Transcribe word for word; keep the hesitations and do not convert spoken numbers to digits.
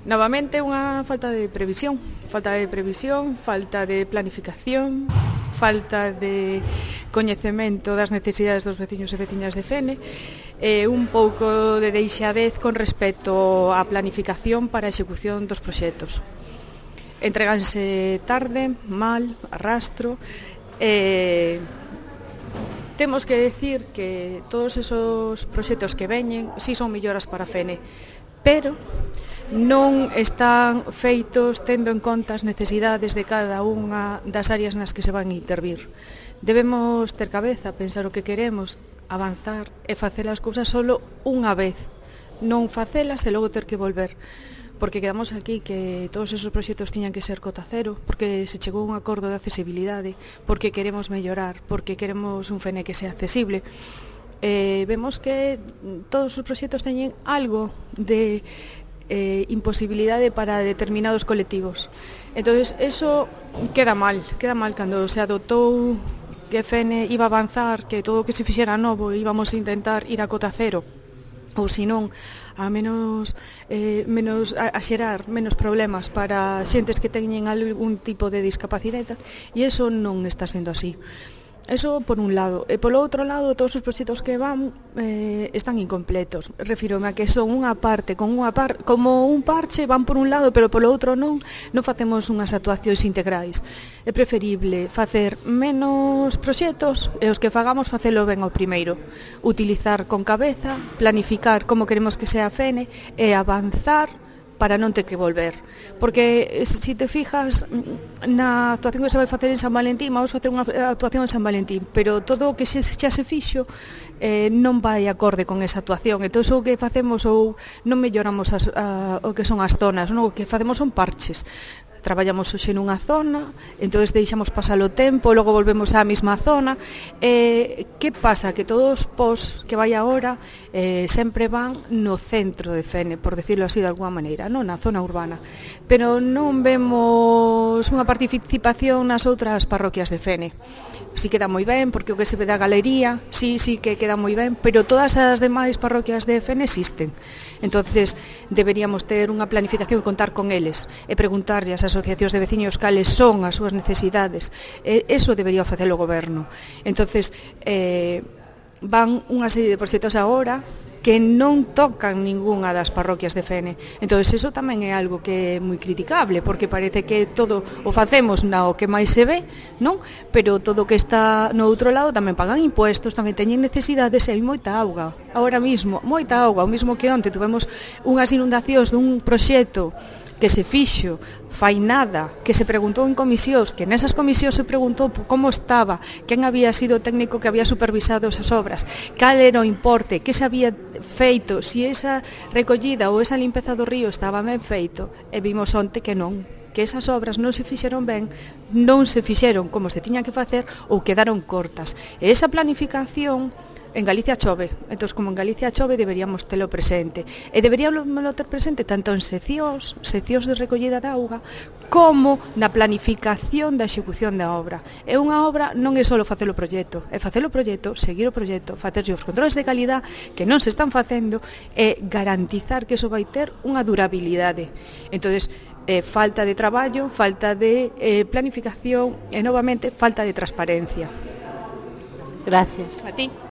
Novamente unha falta de previsión, falta de previsión, falta de planificación, falta de coñecemento das necesidades dos veciños e veciñas de Fene, e un pouco de deixadez con respecto á planificación para a execución dos proxectos. Entreganse tarde, mal, arrastro, e temos que decir que todos esos proxectos que veñen si son melloras para Fene, pero non están feitos tendo en conta as necesidades de cada unha das áreas nas que se van a intervir. Debemos ter cabeza, pensar o que queremos, avanzar e facer as cousas solo unha vez, non facelas e logo ter que volver. Porque quedamos aquí que todos esos proxectos tiñan que ser cota cero, porque se chegou a un acordo de accesibilidade, porque queremos mellorar, porque queremos un Fene que sea accesible. Eh, vemos que todos os proxectos teñen algo de eh, imposibilidade para determinados colectivos. Entonces, eso queda mal, queda mal cando se adoptou que Fene iba a avanzar, que todo o que se fixera novo íbamos a intentar ir a cota cero, ou senón a menos, eh, menos a, a xerar menos problemas para xentes que teñen algún tipo de discapacidade, e eso non está sendo así. Eso por un lado. E polo outro lado, todos os proxectos que van eh, están incompletos. Refírome a que son unha parte, con unha par, como un parche, van por un lado, pero polo outro non, non facemos unhas actuacións integrais. É preferible facer menos proxectos e os que fagamos facelo ben ao primeiro. Utilizar con cabeza, planificar como queremos que sea a Fene e avanzar para non ter que volver. Porque se si te fijas na actuación que se vai facer en San Valentín, vamos facer unha actuación en San Valentín, pero todo o que xa se fixo eh, non vai acorde con esa actuación. Entón, o que facemos ou non melloramos as, a, o que son as zonas, non? O que facemos son parches. Traballamos hoxe nunha zona, entón deixamos pasar o tempo, logo volvemos á mesma zona. Eh, que pasa? Que todos os pos que vai agora eh, sempre van no centro de Fene, por decirlo así de alguma maneira, non na zona urbana. Pero non vemos unha participación nas outras parroquias de Fene. Si queda moi ben, porque o que se ve da galería, sí, sí que queda moi ben, pero todas as demais parroquias de Fene existen. Entonces, deberíamos ter unha planificación e contar con eles, e preguntarlle ás asociacións de veciños cales son as súas necesidades. E eso debería facer o goberno. Entonces, eh, van unha serie de proxectos agora que non tocan ningunha das parroquias de Fene. Entón, eso tamén é algo que é moi criticable, porque parece que todo o facemos na o que máis se ve, non? Pero todo o que está no outro lado tamén pagan impuestos, tamén teñen necesidades e hai moita auga. Ahora mismo, moita auga, o mismo que onte tuvemos unhas inundacións dun proxecto que se fixo fai nada, que se preguntou en comisións, que nesas comisións se preguntou como estaba, quen había sido o técnico que había supervisado esas obras, cal era o importe, que se había feito, si esa recollida ou esa limpeza do río estaba ben feito, e vimos onte que non, que esas obras non se fixeron ben, non se fixeron como se tiñan que facer ou quedaron cortas. E esa planificación en Galicia chove, entón como en Galicia chove deberíamos telo presente, e deberíamos ter presente tanto en seccións, seccións de recollida de auga, como na planificación da execución da obra. E unha obra non é só facer o proxecto, é facer o proxecto, seguir o proxecto, facer os controles de calidad que non se están facendo e garantizar que iso vai ter unha durabilidade. Entón, eh, falta de traballo, falta de eh, planificación e novamente falta de transparencia. Gracias. A ti.